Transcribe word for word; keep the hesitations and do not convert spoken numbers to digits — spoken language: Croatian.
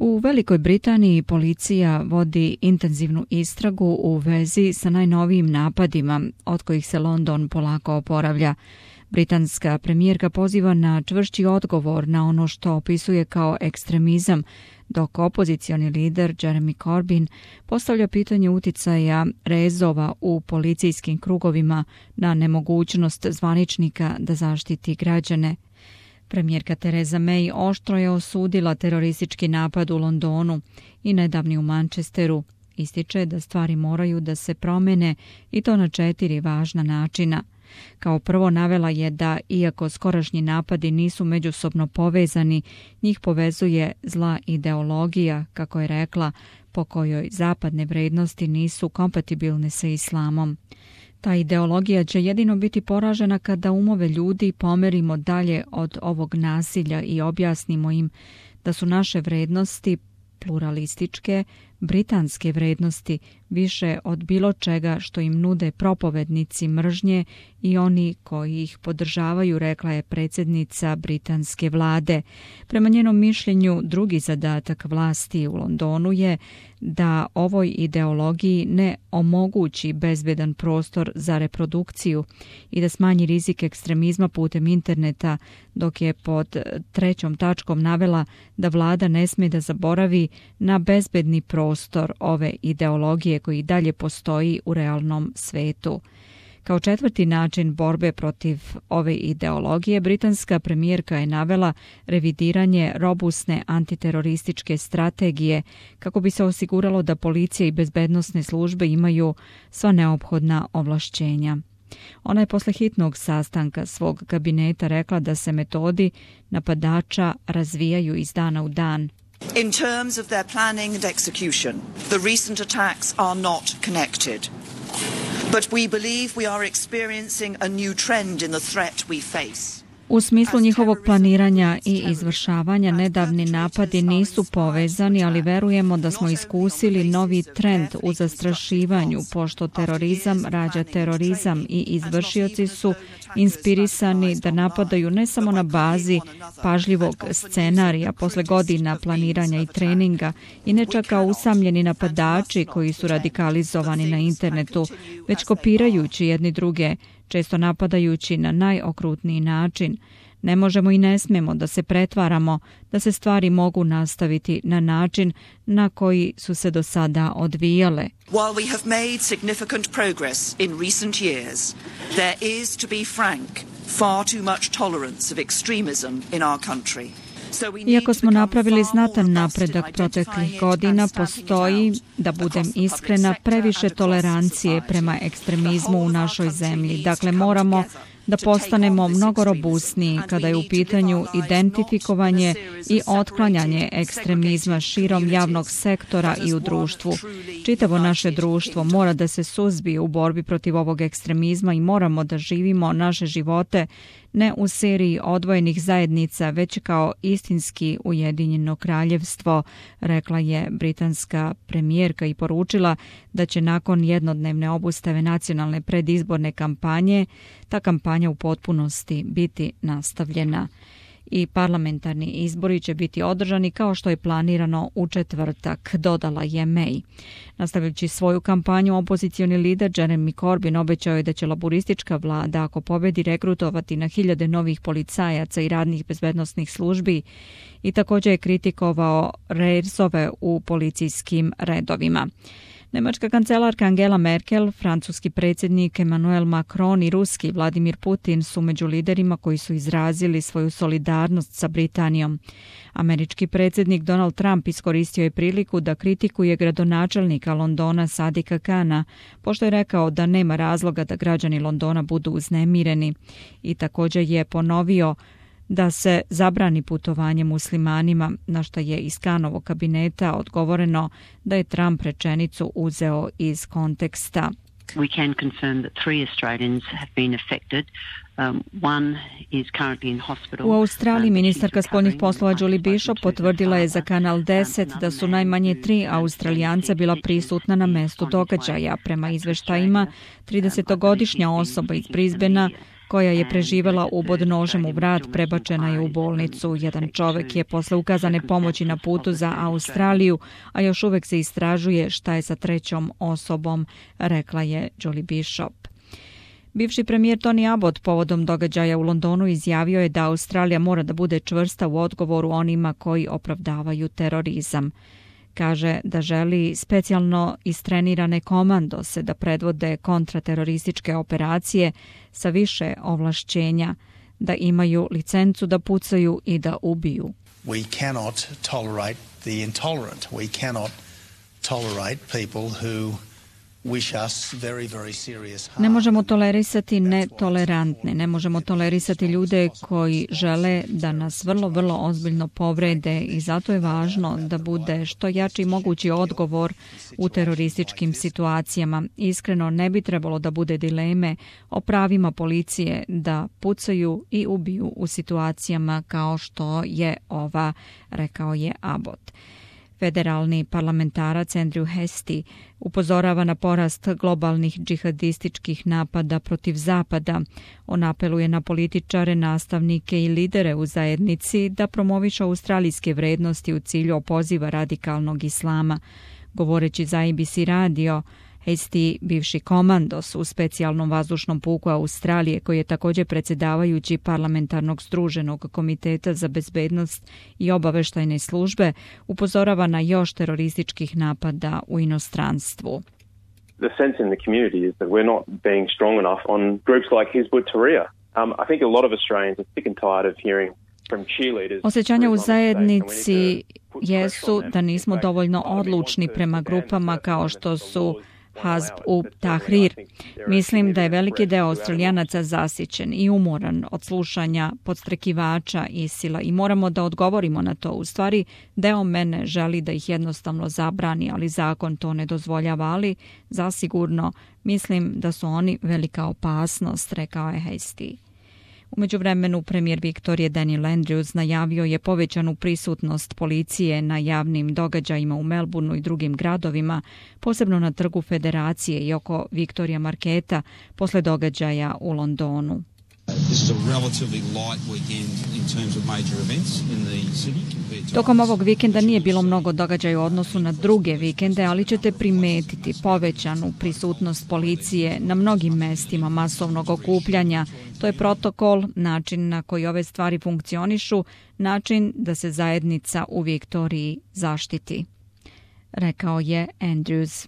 U Velikoj Britaniji policija vodi intenzivnu istragu u vezi sa najnovijim napadima, od kojih se London polako oporavlja. Britanska premijerka poziva na čvršći odgovor na ono što opisuje kao ekstremizam, dok opozicioni lider Jeremy Corbyn postavlja pitanje uticaja rezova u policijskim krugovima na nemogućnost zvaničnika da zaštiti građane. Premijerka Theresa May oštro je osudila teroristički napad u Londonu i nedavni u Manchesteru. Ističe da stvari moraju da se promene i to na četiri važna načina. Kao prvo navela je da, iako skorašnji napadi nisu međusobno povezani, njih povezuje zla ideologija, kako je rekla, po kojoj zapadne vrednosti nisu kompatibilne sa islamom. Ta ideologija će jedino biti poražena kada umove ljudi pomerimo dalje od ovog nasilja i objasnimo im da su naše vrednosti pluralističke, britanske vrednosti više od bilo čega što im nude propovednici mržnje i oni koji ih podržavaju, rekla je predsjednica britanske vlade. Prema njenom mišljenju, drugi zadatak vlasti u Londonu je da ovoj ideologiji ne omogući bezbedan prostor za reprodukciju i da smanji rizik ekstremizma putem interneta, dok je pod trećom tačkom navela da vlada ne smije da zaboravi na bezbedni prostor ove ideologije koji dalje postoji u realnom svetu. Kao četvrti način borbe protiv ove ideologije, britanska premijerka je navela revidiranje robusne antiterorističke strategije kako bi se osiguralo da policija i bezbednosne službe imaju sva neophodna ovlašćenja. Ona je posle hitnog sastanka svog kabineta rekla da se metodi napadača razvijaju iz dana u dan. In terms of their planning and execution, the recent attacks are not connected. But we believe we are experiencing a new trend in the threat we face. U smislu njihovog planiranja i izvršavanja nedavni napadi nisu povezani, ali verujemo da smo iskusili novi trend u zastrašivanju, pošto terorizam rađa terorizam i izvršioci su inspirisani da napadaju ne samo na bazi pažljivog scenarija posle godina planiranja i treninga i ne čak kao usamljeni napadači koji su radikalizovani na internetu, već kopirajući jedni druge, često napadajući na najokrutniji način. Ne možemo i ne smemo da se pretvaramo da se stvari mogu nastaviti na način na koji su se do sada odvijale. While we have made significant progress in recent years, there is, to be frank, far too much tolerance of extremism in our country. Iako smo napravili znatan napredak proteklih godina, postoji, da budem iskrena, previše tolerancije prema ekstremizmu u našoj zemlji. Dakle, moramo da postanemo mnogo robusniji kada je u pitanju identifikovanje i otklanjanje ekstremizma širom javnog sektora i u društvu. Čitavo naše društvo mora da se suzbije u borbi protiv ovog ekstremizma i moramo da živimo naše živote ne u seriji odvojenih zajednica, već kao istinski ujedinjeno kraljevstvo, rekla je britanska premijerka i poručila da će nakon jednodnevne obustave nacionalne predizborne kampanje ta kampanja u potpunosti biti nastavljena. I parlamentarni izbori će biti održani kao što je planirano u četvrtak, dodala je May. Nastavljajući svoju kampanju, opozicioni lider Jeremy Corbyn obećao je da će laburistička vlada, ako pobedi, regrutovati na hiljade novih policajaca i radnih bezbednosnih službi i također je kritikovao rezove u policijskim redovima. Nemačka kancelarka Angela Merkel, francuski predsjednik Emmanuel Macron i ruski Vladimir Putin su među liderima koji su izrazili svoju solidarnost sa Britanijom. Američki predsjednik Donald Trump iskoristio je priliku da kritikuje gradonačelnika Londona Sadika Kana, pošto je rekao da nema razloga da građani Londona budu uznemireni i također je ponovio da se zabrani putovanje muslimanima, na što je iz Kanovog kabineta odgovoreno da je Trump rečenicu uzeo iz konteksta. We can confirm that three Australians have been affected. Um, one is currently in hospital. U Australiji ministarka spoljnih poslova Julie Bishop potvrdila je za Kanal deset da su najmanje tri Australijanca bila prisutna na mestu događaja. Prema izveštajima, tridesetogodišnja osoba iz Brisbanea koja je preživela ubod nožem u vrat, prebačena je u bolnicu. Jedan čovek je posle ukazane pomoći na putu za Australiju, a još uvek se istražuje šta je sa trećom osobom, rekla je Julie Bishop. Bivši premijer Tony Abbott povodom događaja u Londonu izjavio je da Australija mora da bude čvrsta u odgovoru onima koji opravdavaju terorizam. Kaže da želi specijalno istrenirane komandose da predvode kontraterorističke operacije sa više ovlašćenja, da imaju licencu da pucaju i da ubiju. We cannot tolerate the intolerant. We cannot tolerate people who wish us very, very serious harm. Ne možemo tolerisati netolerantne, ne možemo tolerisati ljude koji žele da nas vrlo, vrlo ozbiljno povrede i zato je važno da bude što jači mogući odgovor u terorističkim situacijama. Iskreno ne bi trebalo da bude dileme o pravima policije da pucaju i ubiju u situacijama kao što je ova, rekao je Abbott. Federalni parlamentarac Andrew Hastie upozorava na porast globalnih džihadističkih napada protiv Zapada. On apeluje na političare, nastavnike i lidere u zajednici da promovišu australijske vrednosti u cilju opoziva radikalnog islama. Govoreći za A B C radio, Hastie, bivši komandos u specijalnom vazdušnom puku Australije, koji je također predsjedavajući parlamentarnog združenog komiteta za bezbednost i obaveštajne službe, upozorava na još terorističkih napada u inostranstvu. The sense in the community is that we're not being strong enough on groups like Hizb ut-Tahrir. Um, I think a lot of Australians are sick and tired of hearing from cheerleaders. Osjećanja u zajednici jesu da nismo dovoljno odlučni prema grupama kao što su Hizb ut-Tahrir. Mislim da je veliki deo Australijanaca zasićen i umoran od slušanja podstrekivača ISIL-a i moramo da odgovorimo na to. U stvari, deo mene želi da ih jednostavno zabrani, ali zakon to ne dozvoljava, ali zasigurno mislim da su oni velika opasnost, rekao je Hastie. U međuvremenu premijer Viktorije Daniel Andrews najavio je povećanu prisutnost policije na javnim događajima u Melbourneu i drugim gradovima, posebno na trgu Federacije i oko Victoria Marketa posle događaja u Londonu. Tokom ovog vikenda nije bilo mnogo događaja u odnosu na druge vikende, ali ćete primetiti povećanu prisutnost policije na mnogim mestima masovnog okupljanja. To je protokol, način na koji ove stvari funkcionišu, način da se zajednica u Viktoriji zaštiti, rekao je Andrews.